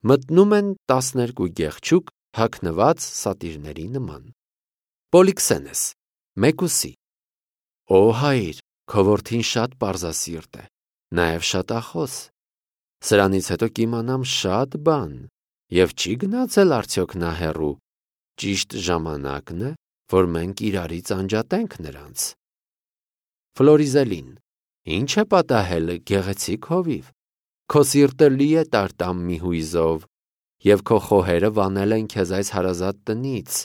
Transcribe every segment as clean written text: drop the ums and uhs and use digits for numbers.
մտնում են 12 գեղչուկ հագնված սատիրների նման։ Պոլիքսենես, մեկուսի. Օ հայր, քո որդին շատ պարզասիրտ է, նաև շատ ախոս։ Սրանից հետո կիմանամ շատ բան, և չի գնացել արդյոք նա հեռու։ Ճիշտ ժամանակն է, որ մենք իրարից անջատենք նրանց։ Ֆլորիզելին. Ինչ է պատահել, գեղեցիկ հովիվ։ Քո սիրտը լի է տարտամ մի հույզով, և քո խոհերը վանել են քեզ այս հարազատ տնից։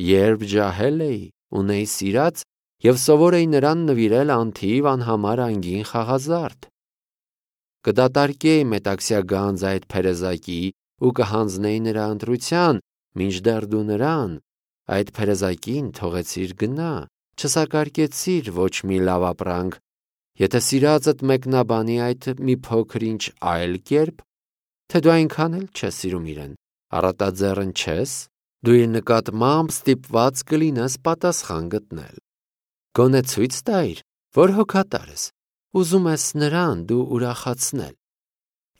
Երբ ջահել էի, ունեի սիրած և սովոր էի նրան նվիրել անթիվ անհամար անգին խաղազարդ։ Կդատարկեի մետաքսյա գանձ այդ փերեզակի ու կհանձնեի նրա ընտրության, մինչդեռ դու նրան, այդ փերեզակին թողեցիր գնա, չսակարկեցիր ոչ մի լավ ապրանք, եթե սիրածդ մեկնաբանի այդ մի փոքր-ինչ այլ կերպ, թե դու այնքան էլ չես սիրում իրեն, առատաձեռն չես, դու իր նկատմամբ ստիպված կլինես պատասխան գտնել։ Գոնե ցույց տայր, որ հոգատար ես, ուզում ես նրան դու ուրախացնել։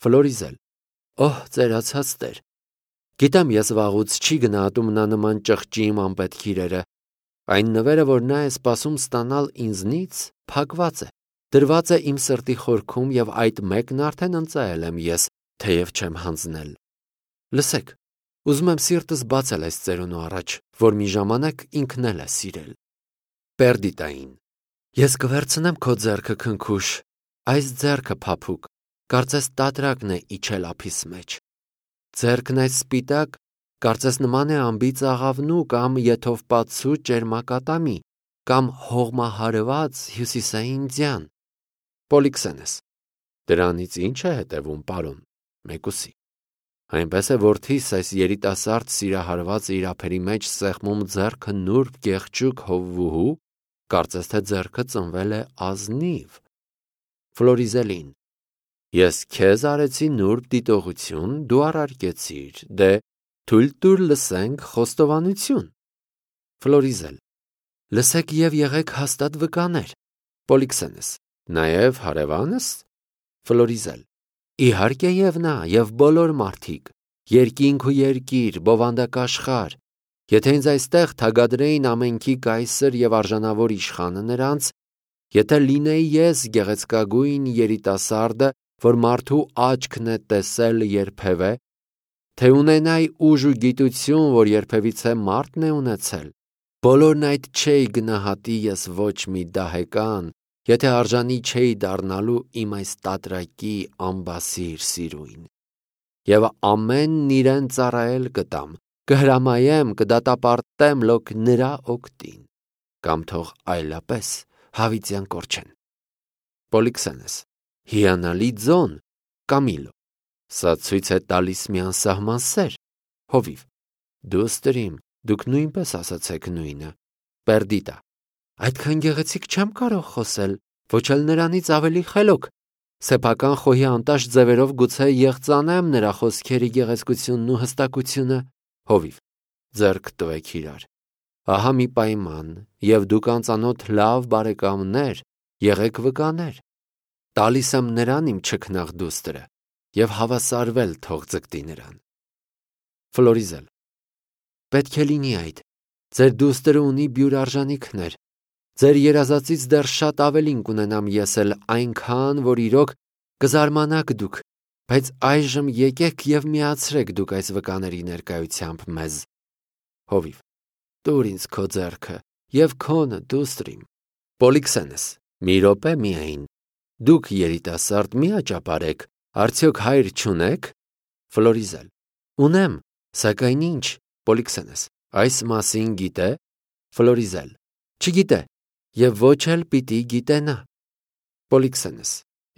Ֆլորիզել. Օհ, ծերացած Տեր, գիտեմ ես վաղուց չի գնահատում նա նման ճղճի իմ անպետք իրերը, այն նվերը, որ նա է սպասում ստանալ ինձնից, փակված է, դրված է իմ սրտի խորքում և այդ մեկն արդեն ընծայել եմ ես, թեև չեմ հանձնել։ Լսեք, ուզում եմ սիրտս բացել այս ծերունու առաջ, որ մի ժամանակ ինքն էլ է սիրել։ Պերդիտային. Ես կվերցնեմ քո ձեռքը քնքուշ, այս ձեռքը փափուկ, կարծես տատրակն է իջել ափիս մեջ։ Ձեռքն այս սպիտակ, կարծես նման է անբիծ աղավնու կամ եթովպացու ճերմակատամի, կամ հողմահարված հյուսիսային ձյան։ Պոլիքսենես. Դրանից ինչ է հետևում, պարոն, մեկուսի։ Այնպես է որդիս այս երիտասարդ սիրահարված իր ափերի մեջ սեղմում ձեռքը նուրբ գեղչուկ հովվուհու, կարծես թե ձեռքը ծնվել է ազնիվ։ Ֆլորիզելին. Ես քեզ արեցի նուրբ դիտողություն, դու առարկեցիր, դե թույլ տուր լսենք խոստովանություն։ Ֆլորիզել. Լսեք և եղեք հաստատ վկաներ։ Պոլիքսենես. Նաև հարևանս։ Ֆլորիզել. Իհարկե և նա, և բոլոր մարդիկ, երկինք ու երկիր, բովանդակաշխար, եթե ինձ այստեղ թագադրեին ամենքի կայսր և արժանավոր իշխանը նրանց, եթե լինեի ես գեղեցկագույն երիտասարդը, որ մարդու աչքն է տեսել երբևէ, թե ունենայի ուժ ու գիտություն, որ երբևիցե մարդն է ունեցել, բոլորն այդ չէի գնահատի ես ոչ մի դահեկան, եթե արժանի չէի դառնալու իմ այս տատրակի անբասիր սիրույն։ Եվ ամենն իրեն ծառայել կտամ, կհրամայեմ, կդատապարտեմ լոք նրա օգտին, կամ թող այլապես հավիտյան կորչեն։ Պոլիքսենես. Հիանալի ձոն, Կամիլո, սա ցույց է տալիս մի անսահման սեր։ Հովիվ. Դուստրիմ, դուք նույնպես ասացեք նույնը։ Պերդիտա. Այդքան գեղեցիկ չեմ կարող խոսել, ոչ էլ նրանից ավելի խելոք։ Սեփական խոհի անտաշ ձևերով գուցե եղծանեմ նրա խոսքերի գեղեցկությունն ու հստակությունը։ Հովիվ. Ձեռք տվեք իրար։ Ահա մի պայման, և դուք անծանոթ լավ բարեկամներ, եղեք վկաներ։ Տալիս եմ նրան իմ չքնաղ դուստրը, և հավասարվել թող ձգտի նրան։ Ֆլորիզել. Պետք է լինի այդ, ձեր դուստրը ունի բյուր արժանիքներ, ձեր երազածից դեռ շատ ավելին կունենամ ես էլ այնքան, որ իրոք կզարմանաք դուք, բայց այժմ եկեք և միացրեք դուք այս վկաների ներկայությամբ մեզ։ Հովիվ. Տուր ինձ քո ձեռքը, և քոնը դուստրիմ։ Պոլիքսենես. Մի րոպե միայն, դուք երիտասարդ մի աճապարեք, արդյոք հայր չունեք։ Ֆլորիզել. Ունեմ, սակայն ինչ։ Պոլիքսենես. Այս մասին գիտե։ Ֆլորիզել. Չգիտե, և ոչ էլ պիտի գիտենա։ Պոլիքսենես.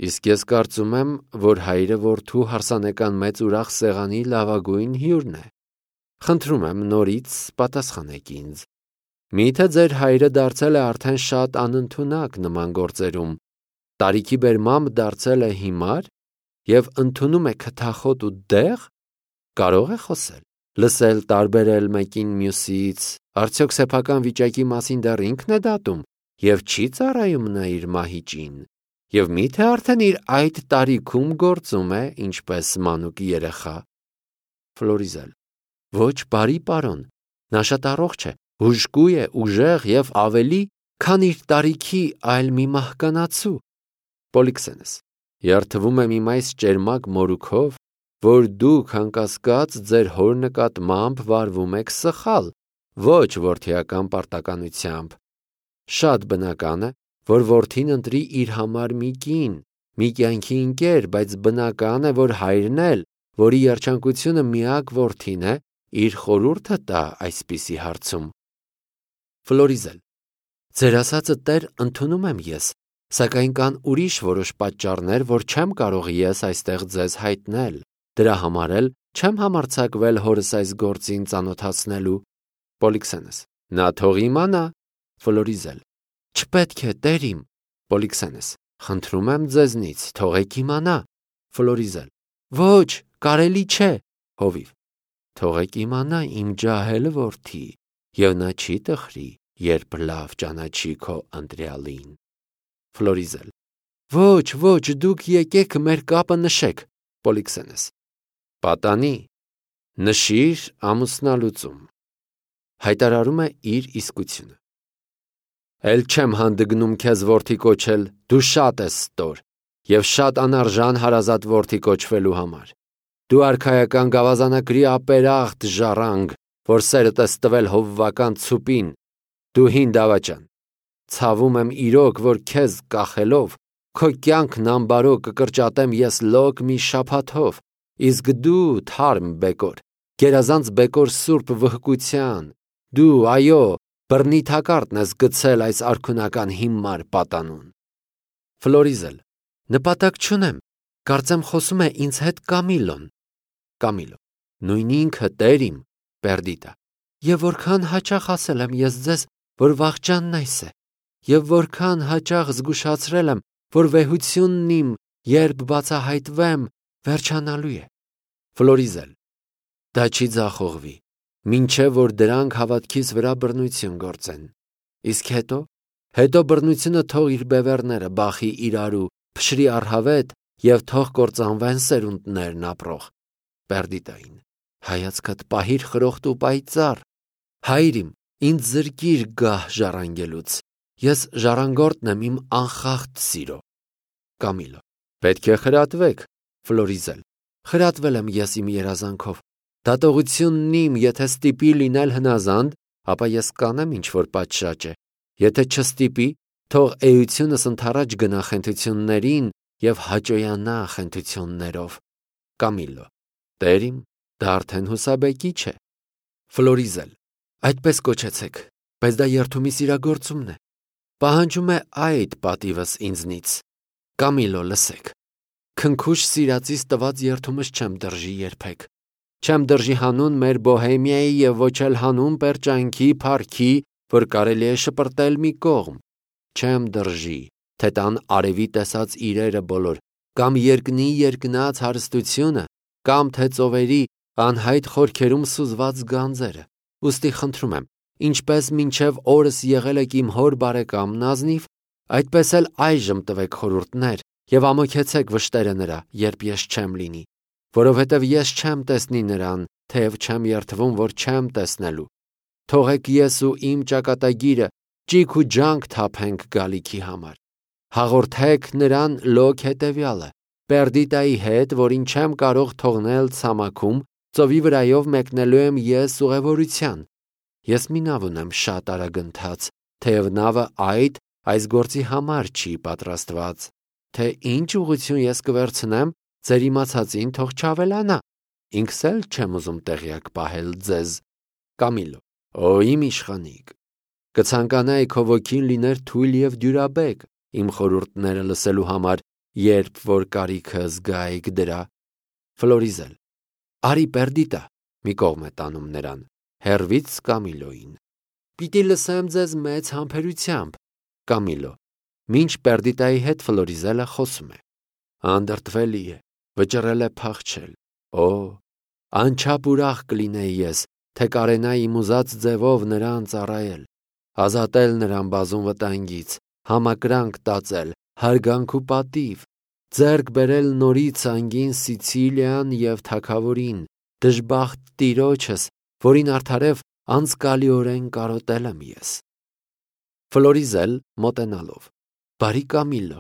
Իսկ ես կարծում եմ, որ հայրը որդու հարսանեկան մեծ ուրախ սեղանի լավագույն հյուրն է։ Խնդրում եմ նորից պատասխանեք ինձ։ Միթե ձեր հայրը դարձել է արդեն շատ անընդունակ նման գործերում, տարիքի բերմամբ դարձել է հիմար և ընդունում է քթախոտ ու դեղ, կարող է խոսել, լսել, տարբերել մեկին մյուսից, արդյոք սեփական վիճակի մասին դեռ ինքն է դատում և չի ծառայում նա իր մահիճին, և միթե արդեն իր այդ տարիքում գործում է ինչպես մանուկ երեխա։ Ֆլորիզել. Ոչ, բարի պարոն, նա շատ առողջ է, հուժկու է, ուժեղ և ավելի, քան իր տարիքի այլ մի մահկանացու։ Պոլիքսենես. Երդվում եմ իմ այս ճերմակ մորուքով, որ դուք անկասկած ձեր հոր նկատմամբ վարվում եք սխալ, ոչ որդիական պարտականությամբ։ Շատ բնական է, որ որդին ընտրի իր համար մի կին, մի կյանքի ընկեր, բայց բնական է, որ հայրն էլ, որի երջանկությունը միակ որդին է, իր խորհուրդը տա այսպիսի հարցում։ Ֆլորիզել. Ձեր ասածը տեր ընդունում եմ ես, սակայն կան ուրիշ որոշ պատճառներ, որ չեմ կարող ես այստեղ ձեզ հայտնել, դրա համար էլ չեմ համարձակվել հորս այս գործին ծանոթացնելու։ Պոլիքսենես. Նա թող իմանա։ Ֆլորիզել. Չպետք է, տեր իմ։ Պոլիքսենես. Խնդրում եմ ձեզնից, թողեք իմանա։ Ֆլորիզել. Ոչ, կարելի չէ։ Հովիվ. Թողեք իմանա իմ ջահել որդի, և նա չի տխրի, երբ լավ ճանաչի քո ընտրյալին։ Ֆլորիզել. Ոչ, դուք եկեք մեր կապը նշեք։ Պոլիքսենես. Պատանի, նշիր ամուսնալուծում։ Հայտարարում է իր իսկությունը։ Էլ չեմ հանդգնում քեզ որդի կոչել, դու շատ ես ստոր և շատ անարժան հարազատ որդի կոչվելու համար։ Դու արքայական գավազանակրի ապերախտ ժառանգ, որ սերդ ես տվել հովվական ցուպին, դու հին դավաճան։ Ցավում եմ իրոք, որ քեզ կախելով, քո կյանքն ամբարո կկրճատեմ ես լոկ մի շաբաթով, իսկ դու թարմ բեկոր, գերազանց բեկոր սուրբ վհկության, դու, այո, բռնի թակարդն ես գցել այս արքունական հիմար պատանուն։ Ֆլորիզել. Նպատակ չունեմ, կարծեմ խոսում է ինձ հետ Կամիլոն։ Կամիլո. Նույն ինքը, տեր իմ, Պերդիտա, և որքան հաճախ ասել եմ ես ձեզ, որ վախճանն այս է, և որքան հաճախ զգուշացրել եմ, որ վեհությունն իմ, երբ բացահայտվեմ, վերջանալու է։ Ֆլորիզել. Դա չի ձախողվի, մինչև որ դրանք հավատքիս վրա բռնություն գործեն։ Իսկ հետո բռնությունը թող իր բևեռները բախի իրարու, փշրի առհավետ և թող կործանվեն սերունդներն ապրող։ Պերդիտային. հայացքդ պահիր խրոխտ ու պայծառ։ Հայր իմ, ինձ զրկիր գահ ժառանգելուց, ես ժառանգորդն եմ իմ անխախտ սիրո։ Կամիլո. Պետք է խրատվեք։ Ֆլորիզել. խրատվել եմ ես իմ երազանքով։ Դատողությունն իմ, եթե ստիպի լինել հնազանդ, ապա ես կանեմ ինչ-որ պատշաճ է, եթե չստիպի, թող էությունս ընդառաջ գնա խենթություններին և հաճոյանա խենթություններով։ Կամիլո. Տեր իմ, դա արդեն հուսաբեկի չէ։ Ֆլորիզել. Այդպես կոչեցեք, բայց դա երդումիս իրագործումն է, պահանջում է այդ պատիվս ինձնից։ Կամիլո, լսեք, քնքուշ սիրածիս տված երդումս չեմ դրժի երբեք, չեմ դրժի հանուն մեր Բոհեմիայի և ոչ էլ հանուն պերճանքի փառքի, որ կարելի է շպրտել մի կողմ, չեմ դրժի, թե տան արևի տեսած իրերը բոլոր, կամ երկնի երկնած հարստությունը, կամ թե ծովերի անհայտ խորքերում սուզված գանձերը։ Ուստի խնդրում եմ, ինչպես մինչև օրս եղել եք իմ հոր բարեկամն ազնիվ, այդպես էլ այժմ տվեք խորհուրդներ և ամոքեցեք վշտերը նրա, երբ ես չեմ լինի, որովհետև ես չեմ տեսնի նրան, թեև չեմ երդվում, որ չեմ տեսնելու։ Թողեք ես ու իմ ճակատագիրը ճիգ ու ջանք թափենք գալիքի համար։ Հաղորդեք նրան լոկ հետևյալը. Պերդիտայի հետ, որին չեմ կարող թողնել ցամաքում, ծովի վրայով մեկնելու եմ ես ուղևորության։ Ես մի նավ ունեմ շատ արագընթաց, թեև նավը այս գործի համար չի պատրաստված, թե ինչ ուղղություն ես կվերցնեմ, ձեր իմացածին թող չավելանա, ինքս էլ չեմ ուզում տեղյակ պահել ձեզ։ Կամիլո. Օ, իմ իշխանիկ, կցանկանայի քո ոգին լիներ թույլ և դյուրաբեկ իմ խորհուրդները լսելու համար, երբ որ կարիքը զգայիք դրա։ Ֆլորիզել. Արի Պերդիտա, մի կողմ է տանում նրան, հեռվից Կամիլոին։ Պիտի լսեմ ձեզ մեծ համբերությամբ։ Կամիլո. Մինչ Պերդիտայի հետ Ֆլորիզելը խոսում է։ Անդրդվելի է, վճռել է փախչել։ Օ, անչափ ուրախ կլինեի ես, թե կարենայի իմ ուզած ձևով նրան ծառայել, ազատել նրան բազում վտանգից, համակրանք տածել, հարգանք ու պատիվ, ձեռք բերել նորից անգին Սիցիլիան և թագավորին, Դժբախտ տիրոջս, որին արդարև անզգալիորեն կարոտել եմ ես։ Ֆլորիզել մոտենալով. Բարի Կամիլո,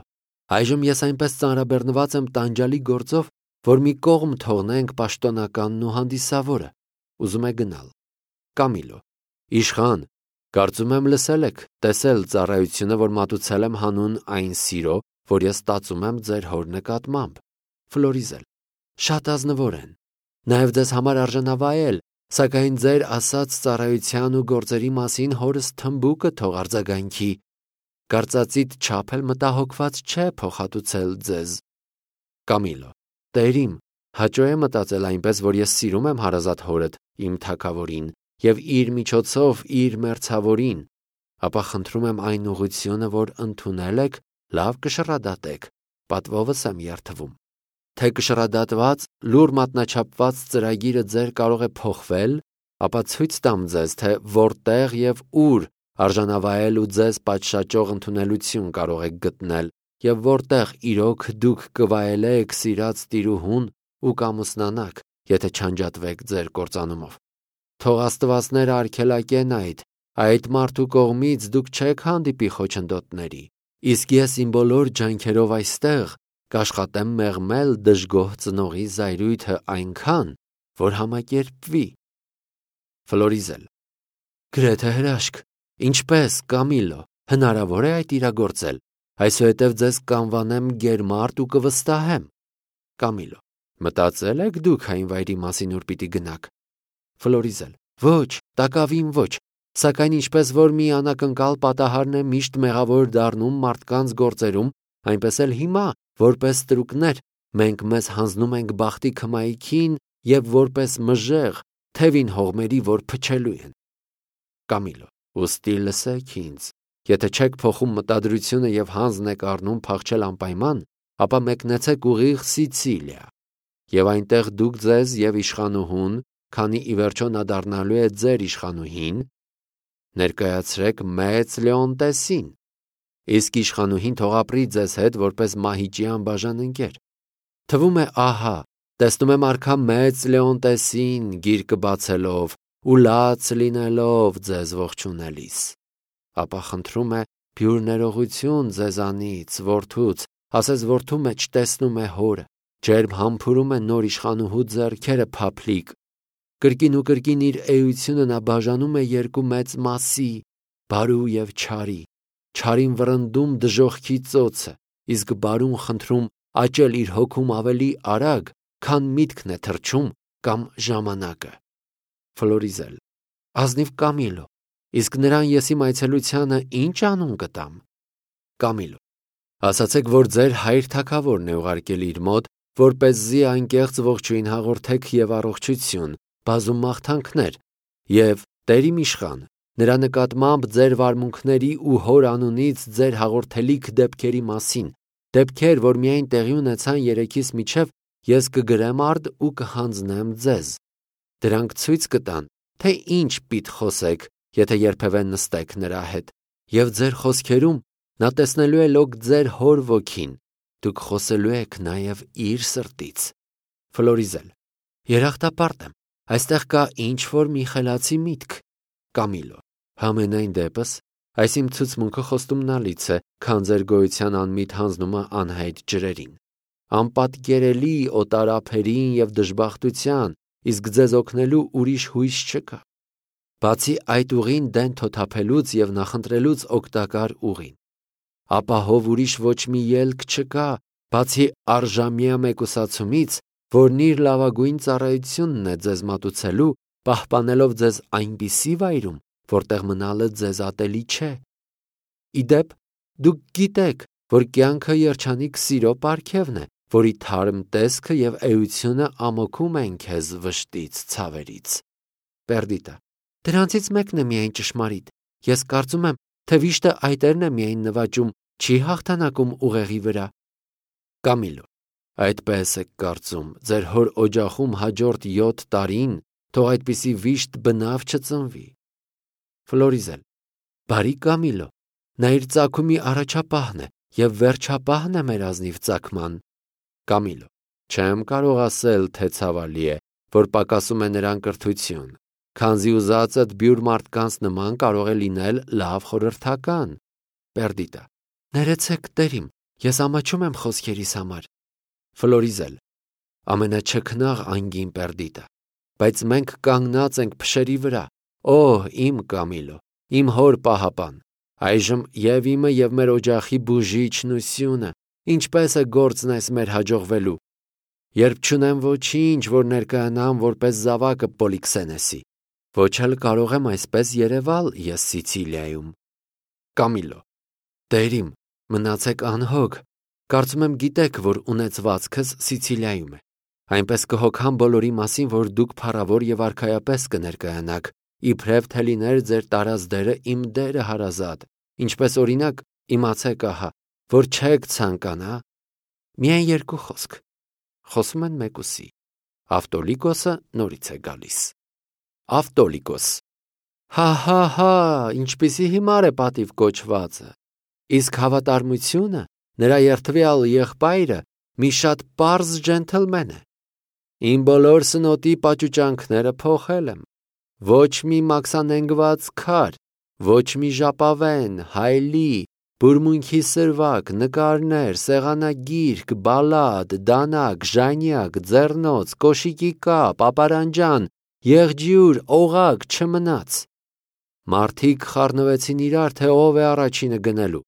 այժմ ես այնպես ծանրաբեռնված եմ տանջալի գործով, որ մի կողմ թողնենք պաշտոնականն ու հանդիսավորը, ուզում է գնալ։ Կամիլո. Իշխան, կարծում եմ լսել եք, տեսել ծառայությունը, որ մատուցել եմ հանուն այն սիրո, որ ես ստացում եմ ձեր հոր նկատմամբ։ Ֆլորիզել. Շատ ազնվոր են։ Նաև ձեզ համար արժանավայել, սակայն ձեր ասած ծառայության ու գործերի մասին հորս թմբուկը թող արձագանքի։ Կարծածիդ չափ էլ մտահոգված չէ փոխհատուցել ձեզ։ Կամիլո. Տերիմ, հաճո է մտածել այնպես, որ ես սիրում եմ հարազատ հորդ, իմ թագավորին, և իր միջոցով իր մերձավորին, ապա խնդրում եմ այն ուղղությունը, որ ընդունել եք, լավ կշռադատեք, պատվովս եմ երդվում։ Թե կշռադատված, լուռ մատնաչափված ծրագիրը ձեր կարող է փոխվել, ապա ցույց տամ ձեզ, թե որտեղ և ուր արժանավայել ու ձեզ պատշաճող ընդունելություն կարող եք գտնել, և որտեղ իրոք դուք կվայելեք սիրած տիրուհուն ու կամուսնանաք, եթե չանջատվեք ձեր կործանումով։ Թող աստվածները արգելակեն այդ մարդու կողմից դուք չեք հանդիպի խոչընդոտների, իսկ ես իմ բոլոր ջանքերով այստեղ կաշխատեմ մեղմել դժգոհ ծնողի զայրույթը այնքան, որ համակերպվի։ Ֆլորիզել. Գրեթե հրաշք, ինչպես, Կամիլո, հնարավոր է այդ իրագործել, այսուհետև ձեզ կանվանեմ գերմարդ ու կվստահեմ։ Կամիլո. Մտածել եք դուք այն վայրի մասին, ուր պիտի գնաք։ Ֆլորիզել. Ոչ, տակավին ոչ, սակայն ինչպես որ մի անակնկալ պատահարն է միշտ մեղավոր դառնում մարդկանց գործերում, այնպես էլ հիմա, որպես ստրուկներ, մենք մեզ հանձնում ենք բախտի քմայքին և որպես մժեղ, թևին հողմերի, որ փչելու են։ Կամիլո. Ուստի լսեք ինձ, եթե չեք փոխում մտադրությունը և հանձն եք առնում փախչել անպայման, ապա մեկնեցեք ուղիղ Սիցիլիա, և այնտեղ դուք ձեզ և իշխանուհուն, քանի ի վերջո նա դառնալու է ձեր իշխանուհին, ներկայացրեք մեծ Լեոնտեսին, իսկ իշխանուհին թող ապրի ձեզ հետ որպես մահիճի անբաժան ընկեր։ Թվում է, ահա, տեսնում եմ արքա մեծ Լեոնտեսին գիրկը բացելով ու լաց լինելով ձեզ ողջունելիս։ Ապա խնդրում է փյուր ներողություն ձեզանից, որդուց, ասես որդու մեջ տեսնում է հորը, ջերմ համբուրում է նոր իշխանուհու ձեռքերը փափլիկ, կրկին ու կրկին իր էությունը նա բաժանում է երկու մեծ մասի, բարու և չարի, չարին վռնդում դժոխքի ծոցը, իսկ բարուն խնդրում աճել իր հոգում ավելի արագ, քան միտքն է թռչում կամ ժամանակը։ Ֆլորիզել. Ազնիվ Կամիլո, իսկ նրան եսի այցելությանը ինչ անուն կտամ։ Կամիլո. ասացեք, որ ձեր հայր թագավորն է ուղարկել իր մոտ, որպեսզի անկեղծ ողջույն հաղորդեք և առողջություն, բազում մաղթանքներ, և Տերիմ իշխան, նրա նկատմամբ ձեր վարմունքների ու հոր անունից ձեր հաղորդելիք դեպքերի մասին, դեպքեր, որ միայն տեղի ունեցան երեքիս միջև, ես կգրեմ արդ ու կհանձնեմ ձեզ։ Դրանք ցույց կտան, թե ինչ պիտի խոսեք, եթե երբևէ նստեք նրա հետ, և ձեր խոսքերում նա տեսնելու է լոկ ձեր հոր ոգին, դուք խոսելու եք նաև իր սրտից։ Ֆլորիզել. Երախտապարտ եմ, այստեղ կա ինչ-որ մի խելացի միտք։ Կամիլո. Համենայն դեպս, այս իմ ցուցմունքը խոստումնալից է, քան ձեր գոյության անմիտ հանձնումը անհայտ ջրերին, անպատկերելի օտարափերին և դժբախտության, իսկ ձեզ օգնելու ուրիշ հույս չկա, բացի այդ ուղին դեն թոթափելուց և նախընտրելուց օգտակար ուղին։ Ապահով ուրիշ ոչ մի ելք չկա, բացի առժամյա մեկուսացումից, որն իր լավագույն ծառայությունն է ձեզ մատուցելու, պահպանելով ձեզ այնպիսի վայրում, որտեղ մնալը ձեզ ատելի չէ։ Ի դեպ, դուք գիտեք, որ կյանքը երջանիկ սիրո պարգևն է, որի թարմ տեսքը և էությունը ամոքում են քեզ վշտից, ցավերից։ Պերդիտա. Դրանցից մեկն է միայն ճշմարիտ։ Ես կարծում եմ, թե վիշտը այտերն է միայն նվաճում, չի հաղթանակում ուղեղի վրա։ Կամիլո. Այդպես եք կարծում, ձեր հոր օջախում հաջորդ 7 տարին թող այդպիսի վիշտ բնավ չծնվի։ Ֆլորիզել. Բարի Կամիլո, նա իր ծագումի առաջապահն է և վերջապահն է մեր ազնիվ ծագման։ Կամիլո. Չեմ կարող ասել, թե ցավալի է, որ պակասում է նրան կրթություն, քանզի ուզածդ բյուր մարդկանց նման կարող է լինել լավ խորհրդական։ Պերդիտա. Ներեցեք, տերիմ, ես ամաչում եմ խոսքերիս համար։ Ֆլորիզել. ամենաչքնաղ անգին Պերդիտա, բայց մենք կանգնած ենք փշերի վրա։ Օ, իմ Կամիլո, իմ հոր պահապան, այժմ եւ իմը եւ մեր օջախի բուժիչնությունը, ինչպես է գործն այս մեր հաջողվելու։ Երբ չունեմ ոչինչ, որ ներկայանամ որպես զավակը Պոլիքսենեսի, ոչ էլ կարող եմ այսպես երևալ ես Սիցիլիայում։ Կամիլո. Տերիմ, մնացեք անհոգ, կարծում եմ գիտեք, որ ունեցվածքս Սիցիլիայում է, այնպես կհոգամ բոլորի մասին, որ դուք փառավոր եւ արքայապես կներկայանաք, իբրև թե լիներ ձեր տարած դերը իմ դերը հարազատ, ինչպես օրինակ իմացեք ահա, որ չեք ցանկանա։ Միայն երկու խոսք։ Խոսում են մեկուսի։ Ավտոլիկոսը նորից է գալիս։ Ավտոլիկոս. Հա, ինչպիսի հիմար է պատիվ կոչվածը։ Իսկ հավատարմությունը, նրա երդվյալ եղբայրը մի շատ պարզ ջենթլմեն է։ Իմ բոլոր սնոտի պաճուճանքները փոխել եմ։ Ոչ մի մաքսանենգված քար, ոչ մի ժապավեն, հայլի, բուրմունքի սրվակ, նկարներ, սեղանագիրք, բալադ, դանակ, ժանյակ, ձեռնոց, կոշիկի կապ, ապարանջան, եղջյուր, օղակ չմնաց։ Մարդիկ խառնվեցին իրար, թե ով է առաջինը գնելու։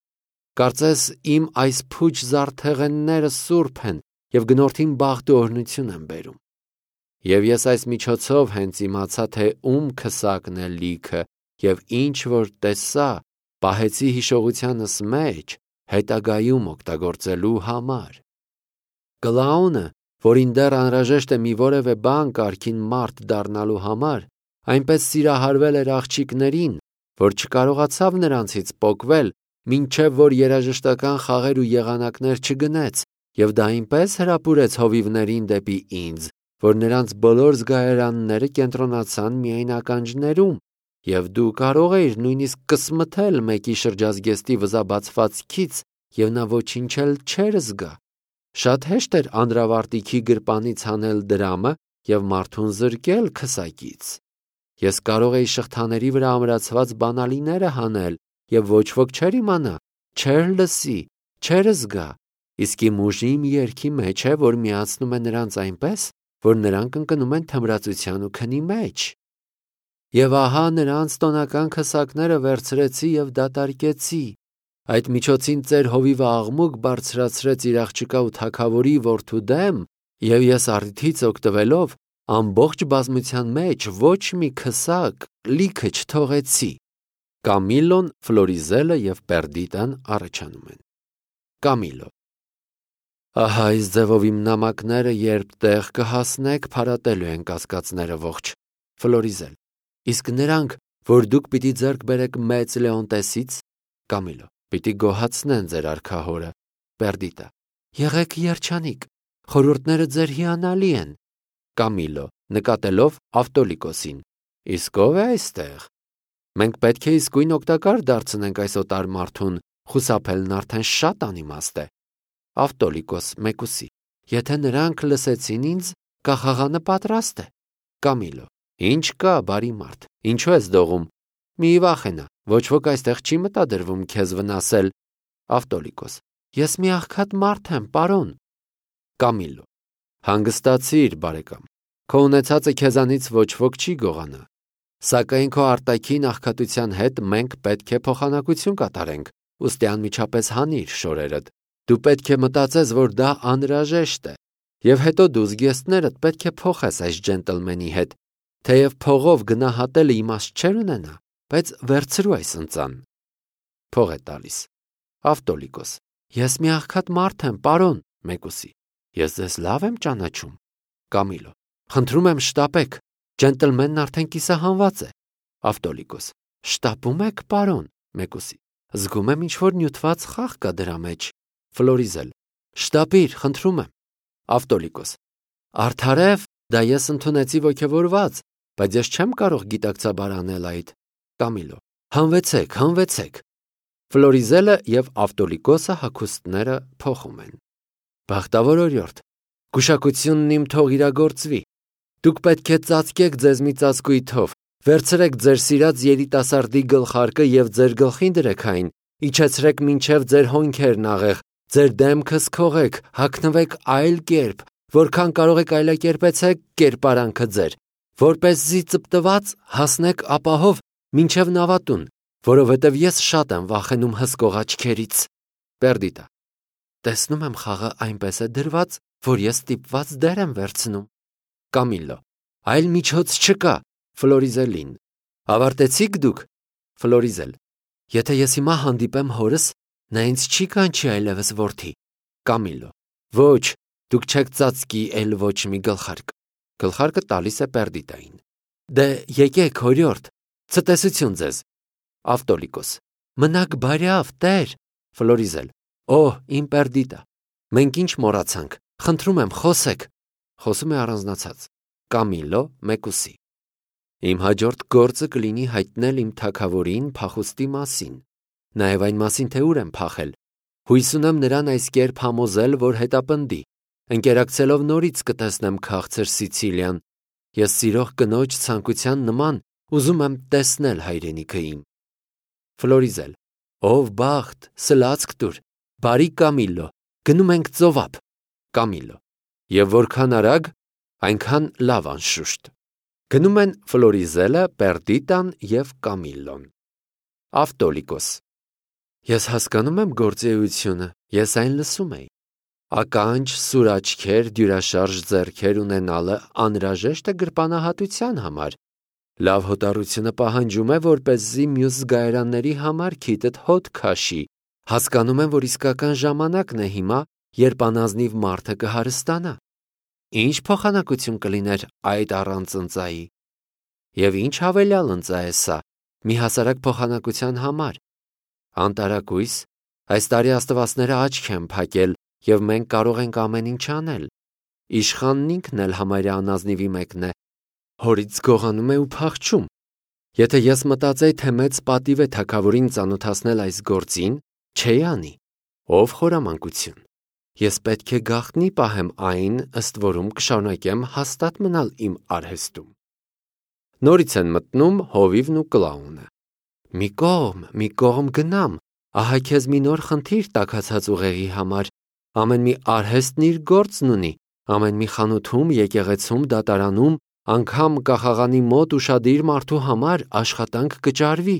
Կարծես իմ այս փուչ զարդեղենները սուրբ են եւ գնորդին բախտ ու օրհնություն են բերում։ Եվ ես այս միջոցով հենց իմացա, թե ում քսակն է լիքը եւ ինչ որ տեսա, պահեցի հիշողությանս մեջ հետագայում օգտագործելու համար։ Կլաունը, որին դեռ անհրաժեշտ է մի որևէ բան կարգին մարդ դառնալու համար, այնպես սիրահարվել էր աղջիկներին, որ չկարողացավ նրանցից պոկվել, մինչև որ երաժշտական խաղեր ու եղանակներ չգնեց, եւ դա այնպես հրապուրեց հովիվներին դեպի ինձ, որ նրանց բոլոր զգայարանները կենտրոնացան միայն ականջներում, եւ դու կարող էիր նույնիսկ կսմթել մեկի շրջազգեստի վզաբացվածքից, եւ նա ոչինչ էլ չէր զգա։ Շատ հեշտ էր անդրավարտիքի գրպանից հանել դրամը եւ մարդուն զրկել քսակից։ Ես կարող էի շղթաների վրա ամրացված բանալիները հանել եւ ոչ ոք չէր իմանա, չէր լսի, չէր զգա, իսկ իմ ուժի մի երգի մեջ է, որ միացնում է նրանց այնպես, որ նրանք ընկնում են թմրացության ու քնի մեջ։ Եվ ահա նրանց տոնական քսակները վերցրեցի եւ դատարկեցի։ Այդ միջոցին ծեր հովիվը աղմուկ բարձրացրեց իր աղջկա ու թագավորի որդու դեմ, եւ ես առիթից օգտվելով ամբողջ բազմության մեջ ոչ մի քսակ լիքը չթողեցի։ Կամիլոն, Ֆլորիզելը եւ Պերդիտան առաջանում են։ Կամիլո. Ահա այս ձևով իմ նամակները երբ տեղ կհասնեք, փարատելու են կասկածները ողջ։ Ֆլորիզել. Իսկ նրանք, որ դուք պիտի ձեռք բերեք մեծ Լեոնտեսից։ Կամիլո. պիտի գոհացնեն ձեր արքահորը։ Պերդիտա. եղեք երջանիկ, խորհուրդները ձեր հիանալի են։ Կամիլո, նկատելով Ավտոլիկոսին. իսկ ով է այստեղ։ Մենք պետք է իսկույն օգտակար դարձնենք այս օտար մարդուն, խուսափելն արդեն շատ անիմաստ է։ Ավտոլիկոս մեկուսի. եթե նրանք լսեցին ինձ, կախաղանը պատրաստ է։ Կամիլո. ինչ կա, բարի մարդ, ինչու ես դողում։ Մի վախենա, ոչ ոք այստեղ չի մտադրվում քեզ վնասել։ Ավտոլիկոս. ես մի աղքատ մարդ եմ, պարոն։ Կամիլո. հանգստացիր, բարեկամ, քո ունեցածը քեզանից ոչ ոք չի գողանա։ Սակայն քո արտաքին աղքատության հետ մենք պետք է փոխանակություն կատարենք, ուստի անմիջապես հանիր շորերդ։ Դու պետք է մտածես, որ դա անհրաժեշտ է, եւ հետո դու զգեստներդ պետք է փոխես այս ջենտլմենի հետ, թեև փողով գնահատելը իմաստ չեր ունենա, բայց վերցրու այս ընծան։ Փող է տալիս։ Ավտոլիկոս. ես մի աղքատ մարդ եմ, պարոն, մեկուսի։ Ես ձեզ լավ եմ ճանաչում։ Կամիլո. խնդրում եմ շտապեք, ջենտլմենն արդեն կիսահանված է։ Ավտոլիկոս. շտապում եք, պարոն, մեկուսի։ Զգում եմ ինչ-որ նյութված խաղ կա դրա մեջ։ Ֆլորիզել. շտապիր, խնդրում եմ։ Ավտոլիկոս. արդարև, դա ես ընդունեցի ոգևորված, բայց ես չեմ կարող գիտակցաբար անել այդ։ Կամիլո. հանվեցեք։ Ֆլորիզելը եւ Ավտոլիկոսը հագուստները փոխում են։ Բախտավոր օրիորդ, գուշակությունն իմ թող իրագործվի։ Դուք պետք է ծածկեք ձեզ մի ծածկույթով, վերցրեք ձեր սիրած երիտասարդի գլխարկը եւ ձեր գլխին դրեք այն, իջեցրեք մինչև ձեր հոնքերն աղեղ, ձեր դեմքը սքողեք, հագնվեք այլ կերպ, որքան կարող եք այլակերպեցեք կերպարանքը ձեր, որպեսզի ծպտված հասնեք ապահով մինչև նավատուն, որովհետև ես շատ եմ վախենում հսկող աչքերից։ Պերդիտա. Տեսնում եմ խաղը այնպես է դրված, որ ես ստիպված դեր եմ վերցնում։ Կամիլլո. Այլ միջոց չկա։ Ֆլորիզելին. Ավարտեցիք դուք։ Ֆլորիզել. Եթե ես հիմա հանդիպեմ հորս, նա ինձ չի կանչի այլևս որդի։ Կամիլլո. Ոչ, դուք չեք ծածկի էլ ոչ մի գլխարկ։ Գլխարկը տալիս է Պերդիտային։ Դե եկեք, հորյորդ, ցտեսություն ձեզ։ Ավտոլիկոս. Մնաք բարյավ, տեր։ Ֆլորիզել. Օհ, իմ Պերդիտա, մենք ինչ մոռացանք, խնդրում եմ, խոսեք։ Խոսում է առանձնացած։ Կամիլլո մեկուսի. Իմ հաջորդ գործը կլինի հայտնել իմ թագավորին փախուստի մասին, նաև այն մասին, թե ուր եմ փախել։ Հույս ունեմ նրան այս կերպ համոզել, որ հետապնդի, ընկերակցելով նորից կտեսնեմ քաղցր Սիցիլիան։ Ես սիրող կնոջ ցանկության նման ուզում եմ տեսնել հայրենիքը իմ։ Ֆլորիզել. Ով բախտ, սլացք տուր, բարի Կամիլլո, գնում ենք ծովափ։ Կամիլլո. Եվ որքան արագ, այնքան լավ անշուշտ։ Գնում են Ֆլորիզելը, Պերդիտան և Կամիլլոն։ Ավտոլիկոս. Ես հասկանում եմ գործեությունը, ես այն լսում էի։ Ականջ, սուր աչքեր, դյուրաշարժ ձեռքեր ունենալը անհրաժեշտ է գրպանահատության համար։ Լավ հոտառությունը պահանջում է, որպեսզի մյուս զգայարանների համար քիթդ հոտ քաշի։ Հասկանում եմ, որ իսկական ժամանակն է հիմա, երբ անազնիվ մարդը կհարստանա։ Ինչ փոխանակություն կլիներ այդ առանց ընծայի։ Եվ ինչ հավելյալ ընծա է սա, մի հասարակ փոխանակության համար։ Անտարակույս, այս տարի աստվածները աչք են փակել, և մենք կարող ենք ամեն ինչ անել։ Իշխանն ինքն էլ համարյա անազնիվի մեկն է, հորից գողանում է ու փախչում։ Եթե ես մտածեի, թե մեծ պատիվ է թագավորին ծանոթացնել այս գործին, չէի անի։ Ով խորամանկություն։ Ես պետք է գաղտնի պահեմ այն, ըստ որում կշարունակեմ հաստատ մնալ իմ արհեստում։ Նորից են մտնում հովիվն ու կլաունը։ Մի կողմ գնամ, ահա քեզ մի նոր խնդիր տաքացած ուղեղի համար։ Ամեն մի արհեստն իր գործն ունի, ամեն մի խանութում, եկեղեցում, դատարանում, անգամ կախաղանի մոտ ուշադիր մարդու համար աշխատանք կճարվի։